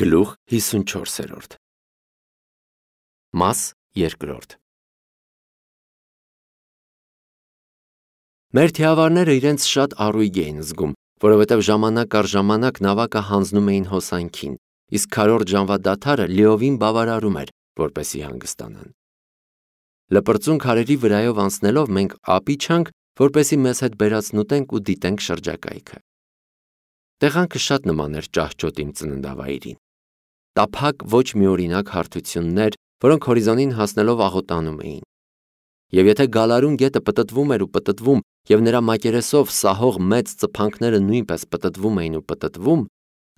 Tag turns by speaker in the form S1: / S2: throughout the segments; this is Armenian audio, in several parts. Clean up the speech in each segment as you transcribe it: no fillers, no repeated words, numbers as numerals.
S1: Գլուխ 54 Մաս 2 Մեր թիավարները իրենց շատ առույգ էին զգում, որովհետև ժամանակ առ ժամանակ նավակը հանձնում էին հոսանքին, իսկ քառորդ ժամվա դադարը լիովին բավարարում էր, որպեսզի հանգստանան։ Լպրծուն քարերի վրայով անցնելով մենք ապիչանք, որպեսզի մեզ հետ բերացնուտենք ու դիտենք շրջակայքը։ Տեղանքը շատ նման էր ճահճոտ իմ ծննդավայրին։ Տափակ ոչ միօրինակ հարթություններ, որոնք հորիզոնին հասնելով աղոտանում էին։ Եվ եթե գալարուն գետը պտտվում էր ու պտտվում, և նրա մակերեսով սահող մեծ ծփանքները նույնպես պտտվում էին ու պտտվում,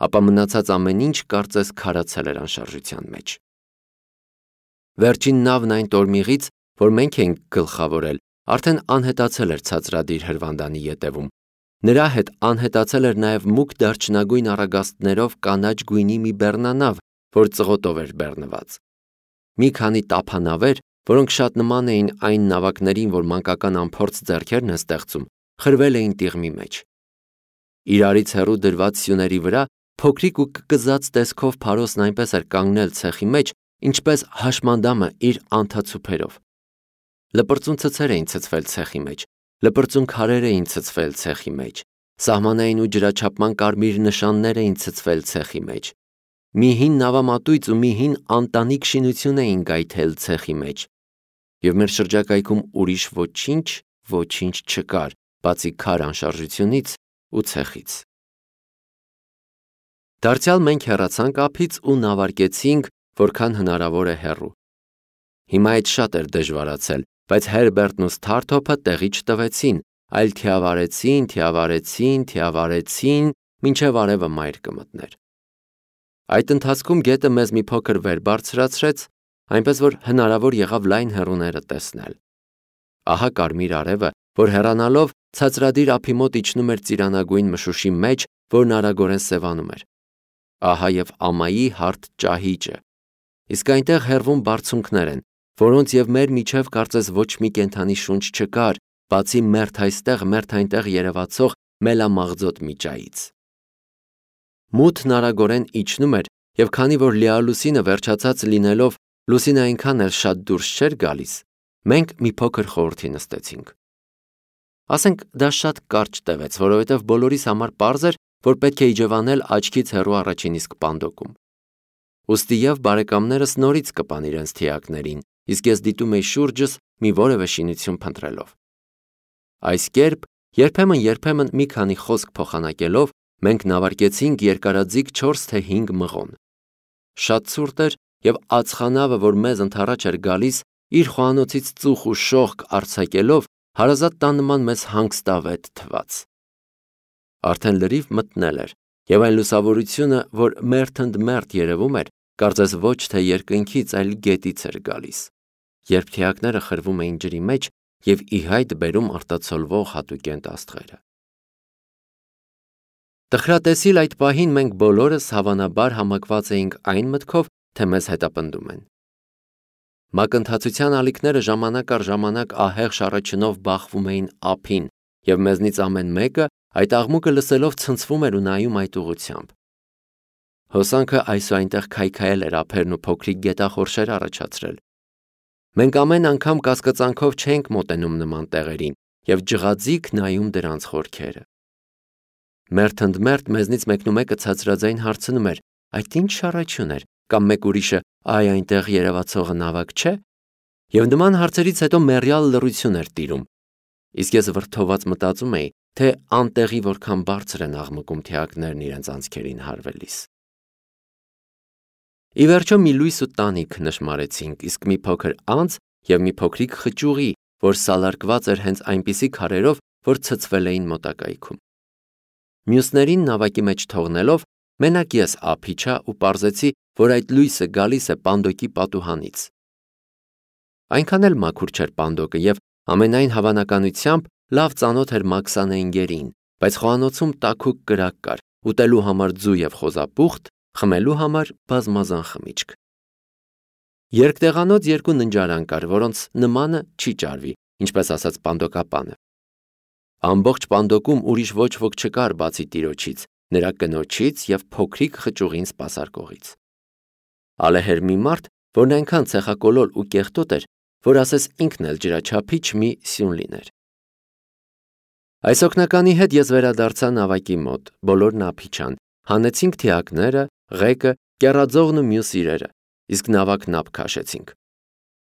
S1: ապա մնացած ամեն ինչ կարծես քարացել էր անշարժության մեջ։ Վերջին նավն այն տորմիղից, որ մենք էինք գլխավորել, արդեն անհետացել էր ցածրադիր հրվանդանի ետևում։ Նրա հետ անհետացել էր նաև մուգ դարչնագույն առագաստներով կանաչ գույնի մի բեռնանավ, որ ծղոտով էր բեռնված։ Մի քանի տափանավեր, որոնք շատ նման էին այն նավակներին, որ մանկական անփորձ ձեռքերն են ստեղծում, խրվել էին տիղմի մեջ։ Իրարից հեռու դրված սյուների վրա փոքրիկ ու կկզած տեսքով փարոսն այնպես էր կանգնել ցեխի մեջ, ինչպես հաշմանդամը իր անթացուփերով։ Լպրծուն ցցեր էին ցցվել ցեխի մեջ, լպրծուն քարեր էին ցցվել ցեխի մեջ, սահմանային ու ջրաչափման կարմիր նշաններ էին ցցվել ցեխի մեջ։ Մի հին նավամատույց ու մի հին անտանիք շինություն էին գայթել ցեխի մեջ, և մեր շրջակայքում ուրիշ ոչինչ չկար, բացի քար անշարժությունից ու ցեխից։ Դարձյալ մենք հեռացանք ափից ու նավարկեցինք, որքան հնարավոր է հեռու։ Հիմա այդ շատ էր դժվարացել, բայց Հերբերտն ու Սթարթոփը տեղի չտվեցին, այլ թիավարեցին, մինչև արևը մայր կմտներ։ Այդ ընթացքում գետը մեզ մի փոքր վեր բարձրացրեց, այնպես որ հնարավոր եղավ լայն հեռուները տեսնել։ Ահա կարմիր արևը, որ հեռանալով ցածրադիր ափի մոտ իջնում էր ծիրանագույն մշուշի մեջ, որն արագորեն սևանում էր։ Ահա և ամայի հարթ ճահիճը, իսկ այնտեղ հեռվում բարձունքներ են, որոնց և մեր միջև կարծես ոչ մի կենդանի շունչ չկար, բացի մերթ այստեղ, մերթ այնտեղ երևացող մելամաղձոտ մի ճայից։ Մութն արագորեն իջնում էր, և քանի որ լիալուսինը վերջացած լինելով լուսինը այնքան էլ շատ դուրս չէր գալիս, մենք մի փոքր խորհրդի նստեցինք։ Ասենք դա շատ կարճ տևեց, որովհետև բոլորիս համար պարզ էր, որ պետք է իջևանել աչքից հեռու առաջին իսկ պանդոկում։ Ուստի և բարեկամներս նորից կպան իրենց թիակներին, իսկ ես դիտում էի շուրջս մի որևէ շինություն փնտրելով։ Այս կերպ երբեմն մի քանի խոսք փոխանակելով մենք նավարկեցինք երկարաձիգ 4 թե 5 մղոն։ Շատ ցուրտ էր, և ածխանավը, որ մեզ ընդառաջ էր գալիս, իր խոհանոցից ծուխ ու շողք արձակելով, հարազատ տան նման մեզ հանգստավետ թվաց։ Արդեն լրիվ մթնել էր, և այն լուսավորությունը, որ մերթընդմերթ երևում էր, կարծես ոչ թե երկնքից, այլ գետից էր գալիս, երբ թիակները խրվում էին ջրի մեջ և ի հայտ բերում արտացոլվող հատուկենտ աստղերը։ Տխրատեսիլ այդ պահին մենք բոլորս հավանաբար համակված էինք այն մտքով, թե մեզ հետապնդում են։ Մակընթացության ալիքները ժամանակ առ ժամանակ ահեղ շառաչյունով բախվում էին ափին, և մեզնից ամեն մեկը այդ աղմուկը լսելով ցնցվում էր ու նայում այդ ուղղությամբ։ Հոսանքը այս ու այնտեղ քայքայել էր ափերն ու փոքրիկ գետախորշեր առաջացրել։ Մենք ամեն անգամ կասկածանքով չէինք մոտենում նման տեղերին և ջղաձիգ նայում դրանց խորքերը։ Մերթընդմերթ մեզնից մեկնումեկը ցածրաձայն հարցնում էր. «Այդ ի՞նչ շառաչյուն էր», կամ մեկ ուրիշը. «Այ այնտեղ երևացողը նավակ չէ»։ Եվ նման հարցերից հետո մեռյալ լռություն էր տիրում, իսկ ես վրդոված մտածում էի, թե անտեղի որքան բարձր են աղմկում թիակներն իրենց անցքերին հարվելիս։ Ի վերջո մի լույս ու տանիք նշմարեցինք, իսկ մի փոքր անց և մի փոքրիկ խճուղի, որ սալարկված էր հենց այնպիսի քարերով, որ ցցվել էին մոտակայքում։ Մյուսներին նավակի մեջ թողնելով, մենակ ես ափ իջա ու պարզեցի, որ այդ լույսը գալիս է պանդոկի պատուհանից։ Այնքան էլ մաքուր չէր պանդոկը և ամենայն հավանականությամբ լավ ծանոթ էր մաքսանենգերին, բայց խոհանոցում տաքուկ կրակ կար, ուտելու համար ձու և խոզապուխտ, խմելու համար բազմազան խմիչք։ Երկտեղանոց 2 ննջարան կար, որոնց նմանը չի ճարվի, ինչպես ասաց պանդոկապանը։ Ամբողջ պանդոկում ուրիշ ոչ ոք չկար բացի տիրոջից, նրա կնոջից և փոքրիկ խճուղին սպասարկողից։ Ալեհեր մի մարդ, որն այնքան ցեխակոլոր ու կեղտոտ էր, որ ասես ինքն էլ ջրաչափիչ մի սյուն լիներ։ Այս օգնականի հետ ես վերադարձա նավակի մոտ, բոլորն ափիչան, հանեցինք թիակները, ղեկը, կեռաձողն ու մյուս իրերը, իսկ նավակն ափ քաշեցինք։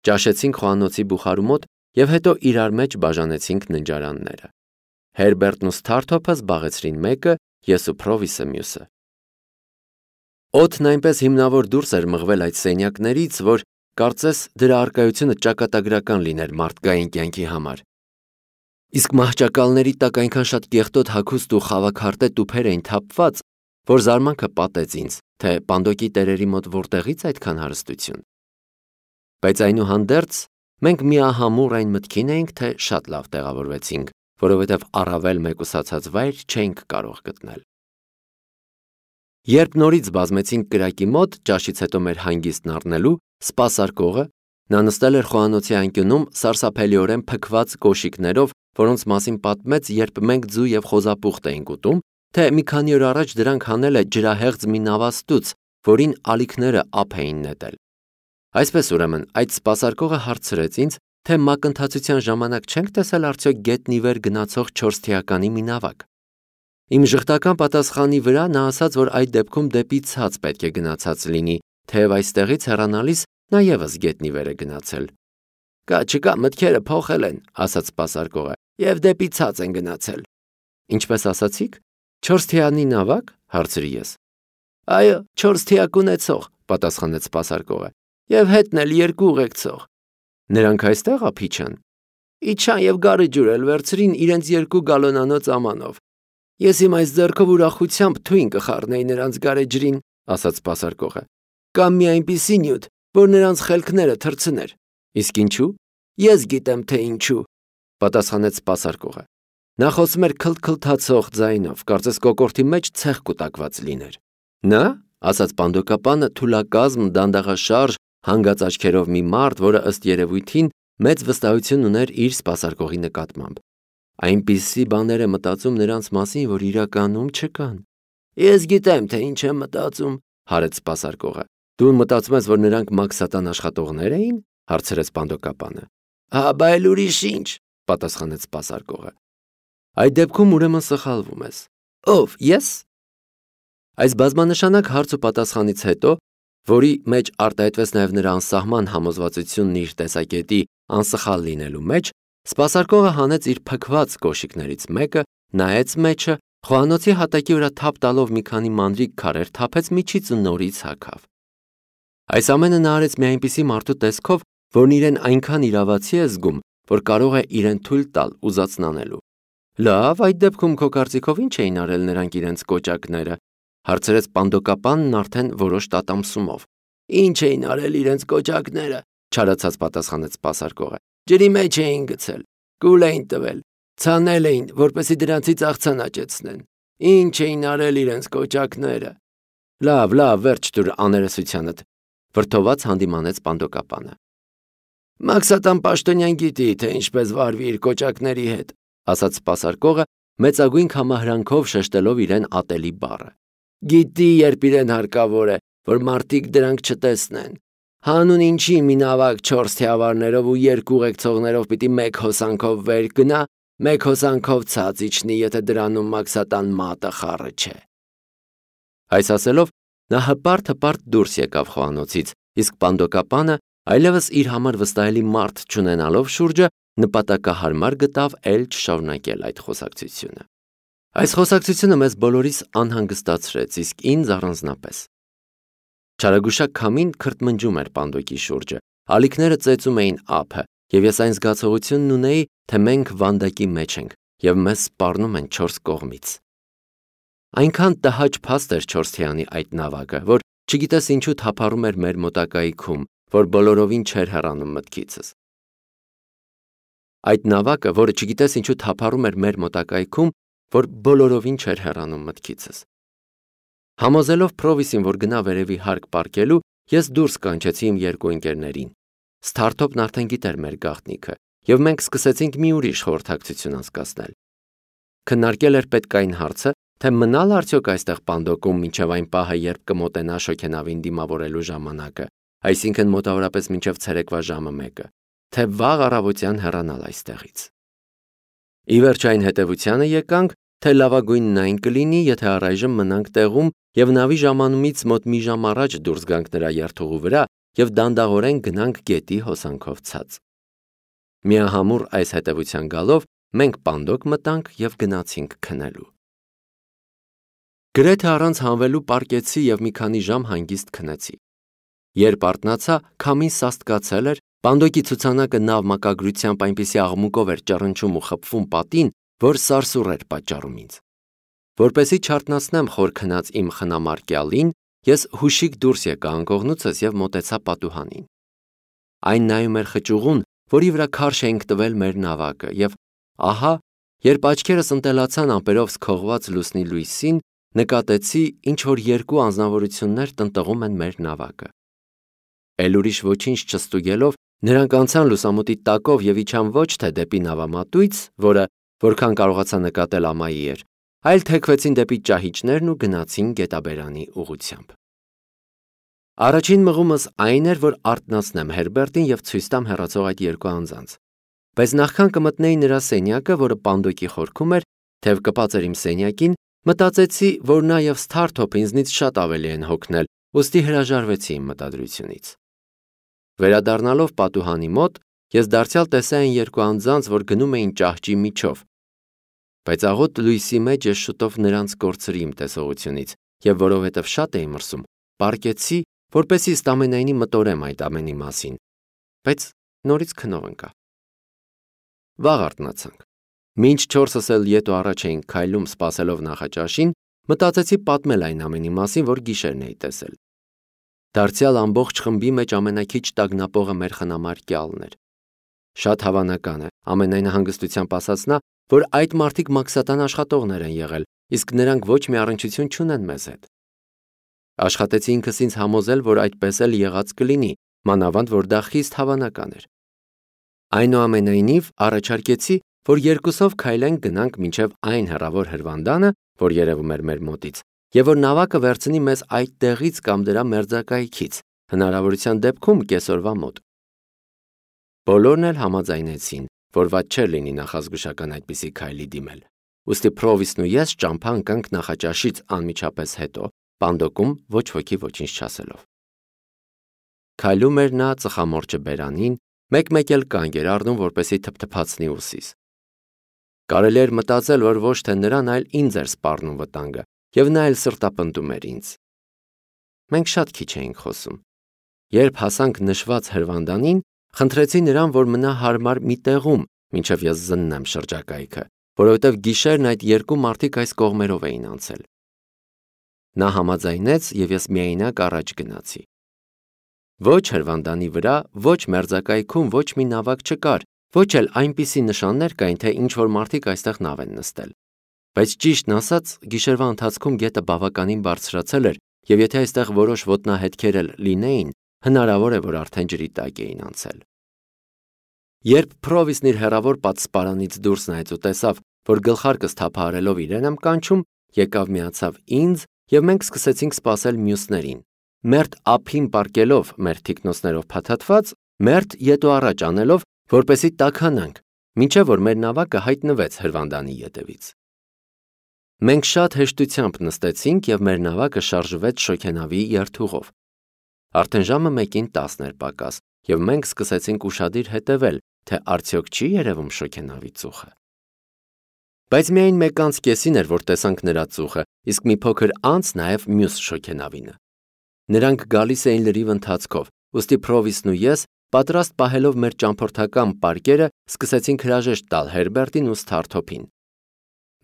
S1: Ճաշեցինք խոհանոցի բուխարու մոտ և հետո իրար մեջ բաժանեցինք ննջարանները։ Հերբերտն ու Սթարթոփը զբաղեցրին մեկը, ես ու Փրովիսը մյուսը։ Օդն այնպես հիմնավոր դուրս էր մղվել այդ սենյակներից, որ կարծես դրա առկայությունը ճակատագրական լիներ մարդկային կյանքի համար։ Իսկ մահճակալների տակ այնքան շատ կեղտոտ հագուստ ու խավաքարտե տուփեր էին թափված, որ զարմանքը պատեց ինձ, թե Պանդոկի տերերի մոտ որտեղից այդքան հարստություն։ Բայց այնուհանդերձ մենք միահամուռ այն մտքին էինք, թե շատ լավ տեղավորվեցինք, որովհետև առավել մեկուսացած վայր չէինք կարող գտնել։ Երբ նորից բազմեցինք կրակի մոտ, ճաշից հետո մեր հանգիստն առնելու, սպասարկողը, նա նստել էր խոհանոցի անկյունում սարսափելիորեն փքված կոշիկներով, որոնց մասին պատմեց, երբ մենք ձու և խոզապուխտ էինք ուտում, թե մի քանի օր առաջ դրանք հանել է ջրահեղձ մի նավաստուց, որին ալիքները ափ էին նետել։ Այսպես ուրեմն այդ սպասարկողը հարցրեց ինձ, թե մակընթացության ժամանակ չենք տեսել արդյոք գետնի վեր գնացող 4 թիականի մի նավակ։ Իմ ժխտական պատասխանի վրա նա ասաց, որ այդ դեպքում դեպի ցած պետք է գնացած լինի, թեև այստեղից հեռանալիս նա ևս գետնի վեր է գնացել։ Կա չկա մտքերը փոխել են, ասաց սպասարկողը, և դեպի ցած են գնացել։ Ինչպես ասացիք, 4 թիանի նավակ, հարցրի ես։ Այո, 4 թիակ ունեցող, պատասխանեց սպասարկողը, և հետն էլ 2 ուղեկցող։ Նրանք այստեղ ափիչան։ Իջան և գարի ջուր էլ վերցրին իրենց 2 գալոնանոց ամանով։ Ես իմ այս ձեռքով ուրախությամբ թույն կխառնեի նրանց գարեջրին, ասաց սպասարկողը։ Կամ մի այնպիսի նյութ, որ նրանց խելքները թռցներ։ Իսկ ինչու։ Ես գիտեմ, թե ինչու, պատասխանեց սպասարկողը։ Նա խոսում էր քլթքլթացող ձայնով, կարծես կոկորդի մեջ ցեխ կուտակված լիներ։ Նա, ասաց Պանդոկապանը, թուլակազմ, դանդաղաշարժ, հանգած աչքերով մի մարդ, որը ըստ երևույթին մեծ վստահություն ուներ իր սպասարկողի նկատմամբ։ Այնպիսի բաներ է մտածում նրանց մասին, որ իրականում չկան։ Ես գիտեմ, թե ինչ եմ մտածում, հարեց սպասարկողը։ Դու մտածում ես, որ նրանք մաքսատան աշխատողներ էին, հարցրեց Պանդոկապանը։ Հա, բայց ուրիշ ինչ, պատասխանեց սպասարկողը։ Այդ դեպքում ուրեմն սխալվում ես։ Ով, ես։ Այս բազմանշանակ հարց ու պատասխանից հետո, որի մեջ արտահայտվեց նաև նրա անսահման համոզվածությունն իր տեսակետի անսխալ լինելու մեջ, սպասարկողը հանեց իր փքված կոշիկներից մեկը, նայեց մեջը, խոհանոցի հատակի վրա թափ տալով մի քանի մանրիկ քարեր թափեց միջից ու նորից հագավ։ Այս ամենը նա արեց մի այնպիսի մարդու տեսքով, որն իրեն այնքան իրավացի է զգում, որ կարող է իրեն թույլ տալ ուզածն անելու։ Լավ, այդ դեպքում քո կարծիքով ինչ էին արել նրանք իրենց կոճակները, հարցրեց Պանդոկապանն արդեն որոշ տատամսումով։ Ինչ էին արել իրենց կոճակները, չարացած պատասխանեց սպասարկողը։ Ջրի մեջ էին գցել, կուլ էին տվել, ցանել էին, որպեսզի դրանցից աղցան աճեցնեն։ Ինչ էին արել իրենց կոճակները։ Լավ, վերջ տուր աներեսությանդ, վրդոված հանդիմանեց Պանդոկապանը։ Մաքսատան պաշտոնյան գիտի, թե ինչպես վարվի իր կոճակների հետ, ասաց սպասարկողը, մեծագույն համահրանքով շեշտելով իրեն ատելի բառը։ Գիտի, երբ իրեն հարկավոր է, որ մարդիկ դրանք չտեսնեն։ Հանուն ինչի մի նավակ 4 թիավարներով ու 2 ուղեկցողներով պիտի 1 հոսանքով վեր գնա, 1 հոսանքով ցած իջնի, եթե դրանում մաքսատան մատը խառը չէ։ Այս ասելով նա հպարտ դուրս եկավ խոհանոցից, իսկ Պանդոկապանը, այլևս իր համար վստահելի մարդ չունենալով շուրջը, նպատակահարմար գտավ էլ չշարունակել այդ խոսակցությունը։ Այս խոսակցությունը մեզ բոլորիս անհանգստացրեց, իսկ ինձ առանձնապես։ Չարագուշակ քամին քրթմնջում էր Պանդոկի շուրջը, ալիքները ծեծում էին ափը, և ես այն զգացողությունն ունեի, թե մենք վանդակի մեջ ենք, և մեզ սպառնում են 4 կողմից։ Այնքան տհաճ փաստ էր 4 թիանի այդ նավակը, որ չգիտես ինչու թափառում էր մեր մոտակայքում, որ բոլորովին չէր հեռանում մտքիցս։ Այդ նավակը, որը չգիտես ինչու թափառում էր մեր մոտակայքում, որ բոլորովին չէր հեռանում մտքիցս։ Համոզելով Փրովիսին, որ գնա վերևի հարկ պառկելու, ես դուրս կանչեցի իմ 2 ընկերներին։ Սթարթոփն արդեն գիտեր մեր գաղտնիքը, և մենք սկսեցինք մի ուրիշ խորհրդակցություն անցկացնել։ Քննարկել էր պետք այն հարցը, թե մնալ արդյոք այստեղ պանդոկում մինչև այն պահը, երբ կմոտենա շոգենավին դիմավորելու ժամանակը, այսինքն մոտավորապես մինչև ցերեկվա ժամը 1-ը, թե վաղ առավոտյան հեռանալ այստեղից։ Ի վերջ այն հետևությանը եկանք, թե լավագույնն այն կլինի, եթե առայժմ մնանք տեղում եւ նավի ժամանումից մոտ մի ժամ առաջ դուրս գանք նրա երթուղու վրա եւ դանդաղորեն գնանք գետի հոսանքով ցած։ Միահամուռ այս հետևության գալով մենք պանդոկ մտանք եւ գնացինք քնելու։ Գրեթե առանց հանվելու պարկեցի եւ մի քանի ժամ հանգիստ քնեցի։ Երբ արթնացա, քամին սաստկացել էր, պանդոկի ցուցանակը նավ մակագրությամբ այնպիսի աղմուկով էր ճռնչում ու խփվում պատին, որ սարսուռ էր պատճառում ինձ։ Որպեսզի չարթնացնեմ խոր քնած իմ խնամարկյալին, ես հուշիկ դուրս եկա անկողնուցս եւ մոտեցա պատուհանին։ Այն նայում էր խճուղուն, որի վրա քարշ էինք տվել մեր նավակը, եւ ահա, երբ աչքերս ընտելացան ամպերով սքողված լուսնի լույսին, նկատեցի, ինչ որ երկու անձնավորություններ տնտղում են մեր նավակը։ Էլ ուրիշ ոչինչ չստուգելով, նրանք անցան լուսամուտի տակով եւ իջան ոչ թե դեպի նավամատույց, որը, որքան կարողացա նկատել ամայի էր, այլ թեքվեցին դեպի ճահիճներն ու գնացին գետաբերանի ուղղությամբ։ Առաջին մղումս այն էր, որ արթնացնեմ Հերբերտին եւ ցույց տամ հեռացող այդ երկու անձանց։ Բայց նախքան կմտնեի նրա սենյակը, որը պանդոկի խորքում էր, թեև կպած էր իմ սենյակին, մտածեցի, որ նա եւ Սթարթոփը ինձնից շատ ավելի են հոգնել, ուստի հրաժարվեցի իմ մտադրությունից։ Վերադառնալով պատուհանի մոտ, ես դարձյալ տեսա այն երկու անձանց, որ գնում էին ճահճի միջով։ Բայց աղոտ լույսի մեջ ես շուտով նրանց կորցրի իմ տեսողությունից, եւ որովհետեւ շատ էի մրսում, պառկեցի, որպեսզի ստամենայնի մտորեմ այդ ամենի մասին, բայց նորից քնով ընկա։ Վաղ արթնացանք։ Մինչ 4-ս էլ ետո առաջ էինք քայլում սպասելով նախաճաշին, մտածեցի պատմել այն ամենի մասին, որ գիշերն էի տեսել։ Դարձյալ ամբողջ խմբի մեջ ամենաքիչ տագնապողը մեր խնամարկյալն էր։ Շատ հավանական է, ամենայն հանգստությամբ ասաց նա, որ այդ մարդիկ մաքսատան աշխատողներ են եղել, իսկ նրանք ոչ մի առնչություն չունեն մեզ հետ։ Աշխատեցի ինքս ինձ համոզել, որ այդպես էլ եղած կլինի, մանավանդ որ դա խիստ հավանական էր։ Այնուամենայնիվ առաջարկեցի, որ երկուսով քայլենք գնանք մինչև այն հեռավոր հրվանդանը, որ երևում էր մեր մոտից, եւ որ նավակը վերցնի մեզ այդ տեղից կամ դրա մերձակայքից, հնարավորության դեպքում կեսօրվա մոտ։ Բոլորն էլ համաձայնեցին, որ վատ չէր լինի նախազգուշական այդպիսի քայլի դիմել։ Ուստի Պրովիսն ու ես ճամփա ընկանք նախաճաշից անմիջապես հետո, պանդոկում ոչ ոքի ոչինչ չասելով։ Քայլում էր նա ծխամորճը բերանին, մեկ-մեկ էլ կանգ էր առնում, որպեսզի թփթփացնի ուսիս։ Կարելի էր մտածել, որ ոչ թե նրան, այլ ինձ էր սպառնում վտանգը, եւ նա էլ սրտապնդում էր ինձ։ Մենք շատ քիչ էինք խոսում։ Երբ հասանք նշված հրվանդանին, խնդրեցի նրան, որ մնա հարմար մի տեղում, մինչև ես զննեմ շրջակայքը, որովհետև գիշերն այդ երկու մարդիկ այս կողմերով էին անցել։ Նա համաձայնեց եւ ես միայնակ առաջ գնացի։ Ոչ հրվանդանի վրա, ոչ մերձակայքում ոչ մի նավակ չկար, ոչ էլ այնպիսի նշաններ կային, թե ինչ-որ մարդիկ այստեղ նավ են նստել։ Բայց ճիշտն ասած, գիշերվա ընթացքում գետը բավականին բարձրացել էր, եւ եթե այստեղ որոշ ոտնահետքեր էլ լինեին, հնարավոր է, որ արդեն ջրի տակ էին անցել։ Երբ Պրովիսն իր հեռավոր պատսպարանից դուրս նայեց ու տեսավ, որ գլխարկս թափահարելով իրեն եմ կանչում, եկավ միացավ ինձ, եւ մենք սկսեցինք սպասել մյուսներին։ Մերթ ափին պարկելով մեր թիկնոցներով փաթաթված, մերթ ետո առաջ անելով, որպեսզի տաքանանք, մինչև որ մեր նավակը հայտնվեց հրվանդանի ետևից։ Մենք շատ հեշտությամբ նստեցինք եւ մեր նավակը շարժվեց շոգենավի երթուղով։ Արդեն ժամը 1:10 էր պակաս, եւ մենք սկսեցինք ուշադիր հետևել, թե արդյոք չի երևում շոգենավի ծուխը։ Բայց միայն 1:30 էր, որ տեսանք նրա ծուխը, իսկ մի փոքր անց նաեւ մյուս շոգենավինը։ Նրանք գալիս էին լրիվ ընթացքով, ուստի Պրովիսն ու ես, պատրաստ պահելով մեր ճամփորդական պարկերը, սկսեցինք հրաժեշտ տալ Հերբերտին ու Սթարթոփին։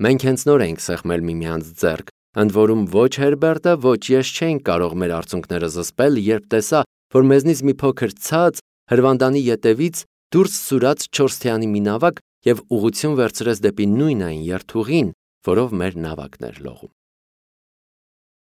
S1: Մենք հենց նոր էինք սեղմել միմյանց ձեռք, ընդ որում ոչ Հերբերտը, ոչ ես չէինք կարող մեր արցունքները զսպել, երբ տեսա, որ մեզնից մի փոքր ցած հրվանդանի ետևից դուրս սուրաց 4 թիանի մի նավակ եւ ուղղություն վերցրեց դեպի նույն այն երթուղին, որով մեր նավակն էր լողում։